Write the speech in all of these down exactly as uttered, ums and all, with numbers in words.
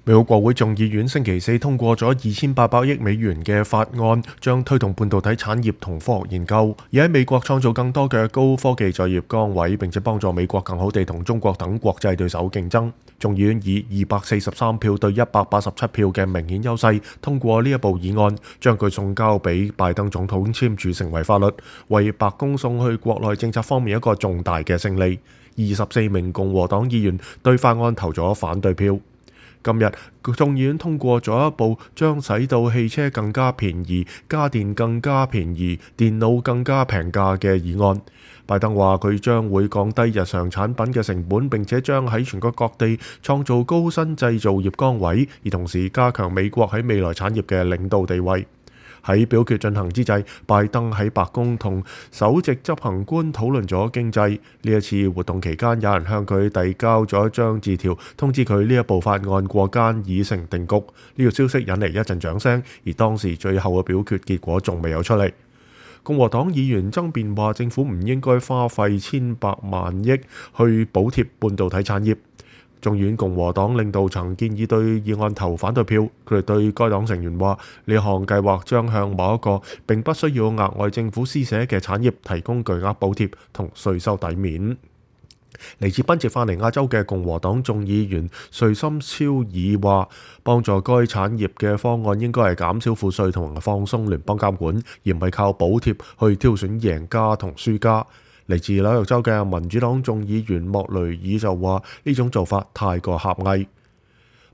美國國會眾議院星期四通過咗二千八百億美元嘅法案，將推動半導體產業同科學研究，而喺美國創造更多嘅高科技就業崗位，並且幫助美國更好地同中國等國際對手競爭。眾議院以二百四十三票對一百八十七票嘅明顯優勢通過呢一部議案，將佢送交俾拜登總統簽署成為法律，為白宮送去國內政策方面一個重大嘅勝利。二十四名共和黨議員對法案投咗反對票。今日眾議院通過咗一部將使到汽車更加便宜、家電更加便宜、電腦更加平價嘅議案。拜登話佢將會降低日常產品嘅成本，並且將喺全國各地創造高薪製造業崗位，而同時加強美國喺未來產業嘅領導地位。喺表決進行之際，拜登喺白宮同首席執行官討論咗經濟。呢一次活動期間，有人向佢遞交咗一張字條，通知佢呢一部法案過關已成定局。呢個消息引嚟一陣掌聲，而當時最後嘅表決結果仲未有出嚟。共和黨議員爭辯話，政府唔應該花費千百萬億去補貼半導體產業。眾議院共和黨領導層建議對議案投反對票，佢哋對該黨成員話：呢項計劃將向某一個並不需要額外政府施捨嘅產業提供巨額補貼同稅收抵免。嚟自賓夕法尼亞州嘅共和黨眾議員瑞森超爾話：幫助該產業嘅方案應該係減少賦稅同放鬆聯邦監管，而唔係靠補貼去挑選贏家同輸家。嚟自紐約州嘅民主黨眾議員莫雷爾就話：呢種做法太過狹隘。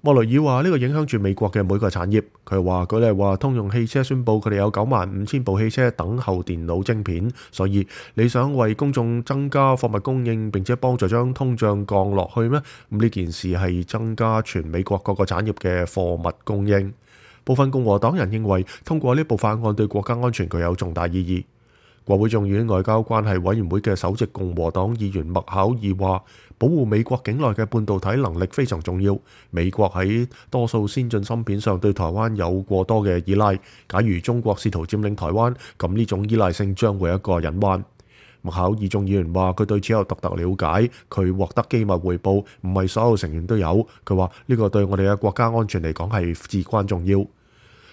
莫雷爾話：呢個影響住美國嘅每個產業。佢話舉例話，通用汽車宣布佢哋有九萬五千部汽車等候電腦晶片，所以你想為公眾增加貨物供應並且幫助將通脹降落去咩？咁呢件事係增加全美國各個產業嘅貨物供應。部分共和黨人認為通過呢部法案對國家安全具有重大意義。國會眾議院外交關係委員會嘅首席共和黨議員麥考爾話：保護美國境內嘅半導體能力非常重要。美國喺多數先進芯片上對台灣有過多嘅依賴。假如中國試圖佔領台灣，咁呢種依賴性將會一個隱患。麥考爾眾議員話：佢對此有獨特了解，佢獲得機密回報，唔係所有成員都有。佢話呢個對我哋嘅國家安全嚟講係至關重要。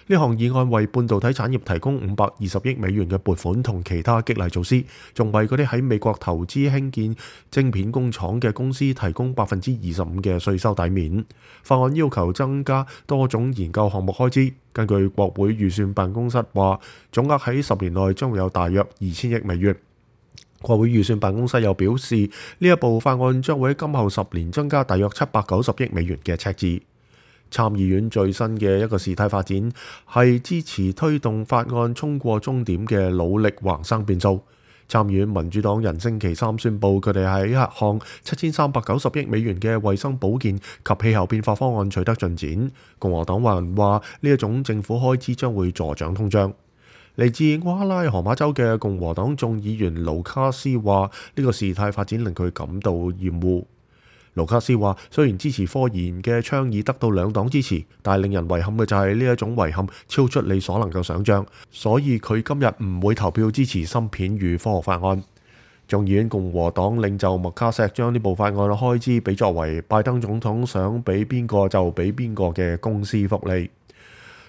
呢項議案為半導體產業提供五百二十億美元嘅撥款同其他激勵措施，仲為嗰啲喺美國投資興建晶片工廠嘅公司提供百分之二十五嘅稅收抵免。法案要求增加多種研究項目開支。根據國會預算辦公室話，總額喺十年內將會有大約二千億美元。國會預算辦公室又表示，呢一部法案將會喺今後十年增加大約七百九十億美元嘅赤字。參議院最新嘅一個事態發展係支持推動法案衝過終點嘅努力橫生變數。參議院民主黨人星期三宣布，佢哋喺一項七千三百九十億美元嘅衛生保健及氣候變化方案取得進展。共和黨人話呢一種政府開支將會助長通脹。嚟自俄克拉荷馬州嘅共和黨眾議員盧卡斯話：呢個事態發展令佢感到厭惡。盧卡斯話：雖然支持科研嘅倡議得到兩黨支持，但係令人遺憾嘅就係呢一種遺憾超出你所能夠想像，所以佢今日唔會投票支持芯片與科學法案。眾議院共和黨領袖麥卡錫將呢部法案嘅開支比作為拜登總統想俾邊個就俾邊個嘅公司福利。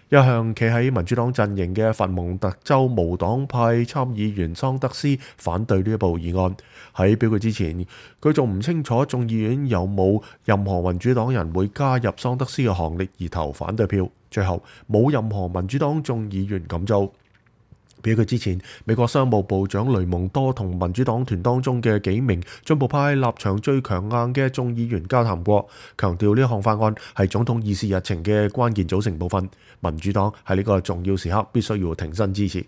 一向企喺民主黨陣營嘅佛蒙特州無黨派參議員桑德斯反對呢一部議案。喺表決之前，佢仲唔清楚眾議院有冇任何民主黨人會加入桑德斯嘅行列而投反對票。最後冇任何民主黨眾議員咁做。表決之前，美國商務部長雷蒙多同民主黨團當中嘅幾名進步派立場最強硬嘅眾議員交談過，強調呢項法案係總統議事日程嘅關鍵組成部分。民主黨喺呢個重要時刻必須要挺身支持。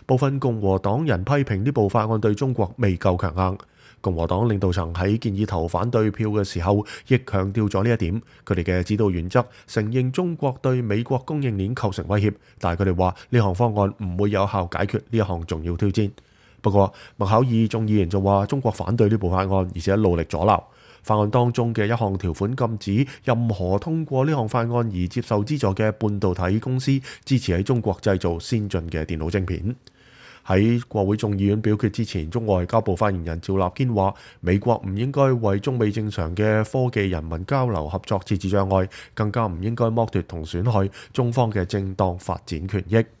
部分共和黨人批評呢部法案對中國未夠強硬。共和黨領導層喺建議投反對票嘅時候，亦強調咗呢一點。佢哋嘅指導原則承認中國對美國供應鏈構成威脅，但係佢哋話呢項方案唔會有效解決呢一項重要挑戰。不過麥考爾眾議員就話中國反對呢部法案，而且努力阻撓。法案當中嘅一項條款禁止任何通過呢項法案而接受資助嘅半導體公司支持喺中國製造先進嘅電腦晶片。喺國會眾議院表決之前，中外交部發言人趙立堅話：美國唔應該為中美正常嘅科技人民交流合作設置障礙，更加唔應該剝奪同損害中方嘅正當發展權益。